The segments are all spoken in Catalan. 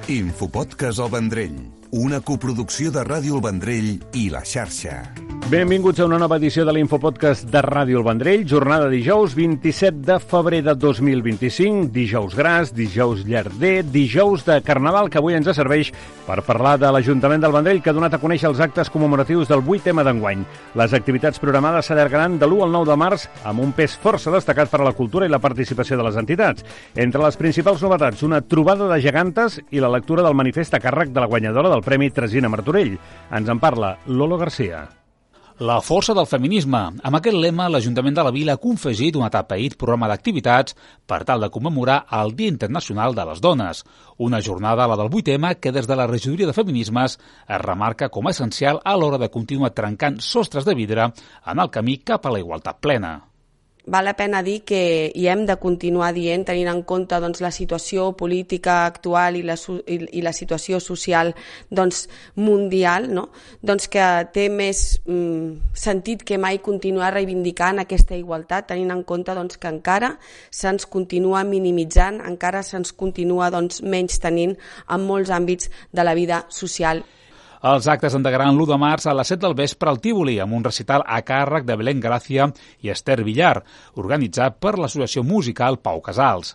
Infopodcast El Vendrell, una coproducció de Ràdio El Vendrell i La Xarxa. Benvinguts a una nova edició de l'Infopodcast de Ràdio El Vendrell, jornada dijous 27 de febrer de 2025, dijous gras, dijous llarder, dijous de Carnaval, que avui ens serveix per parlar de l'Ajuntament del Vendrell, que ha donat a conèixer els actes commemoratius del 8M d'enguany. Les activitats programades s'allargaran de l'1 al 9 de març, amb un pes força destacat per a la cultura i la participació de les entitats. Entre les principals novetats, una trobada de gegantes i la lectura del manifest a càrrec de la guanyadora del Premi Tresina Martorell. Ens en parla Lolo Garcia. La força del feminisme. Amb aquest lema, l'Ajuntament de la Vila ha confegit un atapeït programa d'activitats per tal de commemorar el Dia Internacional de les Dones. Una jornada, la del 8M, que des de la regidoria de feminismes es remarca com a essencial a l'hora de continuar trencant sostres de vidre en el camí cap a la igualtat plena. Val la pena dir que hi hem de continuar dient, tenint en compte doncs, la situació política actual i la situació social mundial, no? Doncs que té més sentit que mai continuar reivindicant aquesta igualtat, tenint en compte que encara se'ns continua minimitzant, encara se'ns continua menys tenint en molts àmbits de la vida social. Els actes endegaran l'1 de març a les 7 del vespre al Tívoli, amb un recital a càrrec de Belén Gràcia i Esther Villar, organitzat per l'Associació Musical Pau Casals.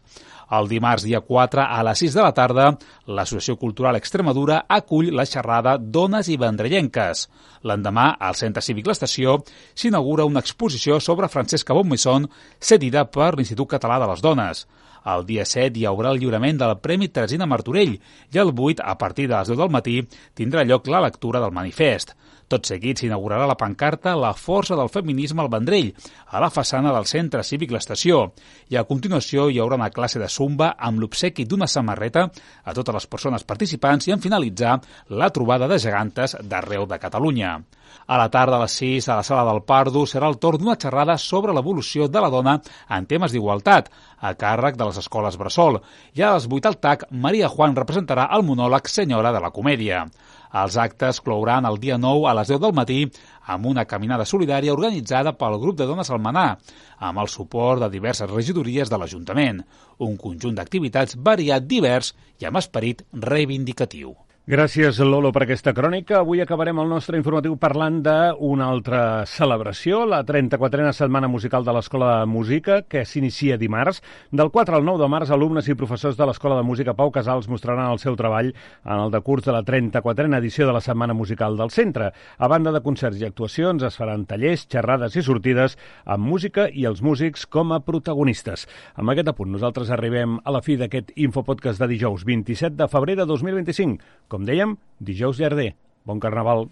El dimarts, dia 4, a les 6 de la tarda, l'Associació Cultural Extremadura acull la xerrada Dones i Vendrellenques. L'endemà, al Centre Cívic L'Estació, s'inaugura una exposició sobre Francesca Bonmaison, cedida per l'Institut Català de les Dones. El dia 7 hi haurà el lliurament del Premi Tresina Martorell i el 8, a partir de les 10 del matí, tindrà lloc la lectura del manifest. Tot seguit s'inaugurarà la pancarta La força del feminisme al Vendrell, a la façana del Centre Cívic L'Estació, i a continuació hi haurà una classe de zumba amb l'obsequi d'una samarreta a totes les persones participants i en finalitzar la trobada de gegantes d'arreu de Catalunya. A la tarda a les 6, a la Sala del Pardo, serà el torn d'una xerrada sobre l'evolució de la dona en temes d'igualtat, a càrrec de les escoles Bressol. I a les 8 al TAC, Maria Juan representarà el monòleg Senyora de la Comèdia. Els actes clouran el dia 9 a les 10 del matí amb una caminada solidària organitzada pel grup de dones Almenar, amb el suport de diverses regidories de l'Ajuntament. Un conjunt d'activitats variat, divers i amb esperit reivindicatiu. Gràcies, Lolo, per aquesta crònica. Avui acabarem el nostre informatiu parlant d'una altra celebració, la 34a Setmana Musical de l'Escola de Música, que s'inicia dimarts. Del 4 al 9 de març, alumnes i professors de l'Escola de Música Pau Casals mostraran el seu treball en el decurs de la 34a edició de la Setmana Musical del centre. A banda de concerts i actuacions, es faran tallers, xerrades i sortides amb música i els músics com a protagonistes. Amb aquest apunt, nosaltres arribem a la fi d'aquest Infopodcast de dijous 27 de febrer de 2025. Com dèiem, dijous llarder. Bon Carnaval.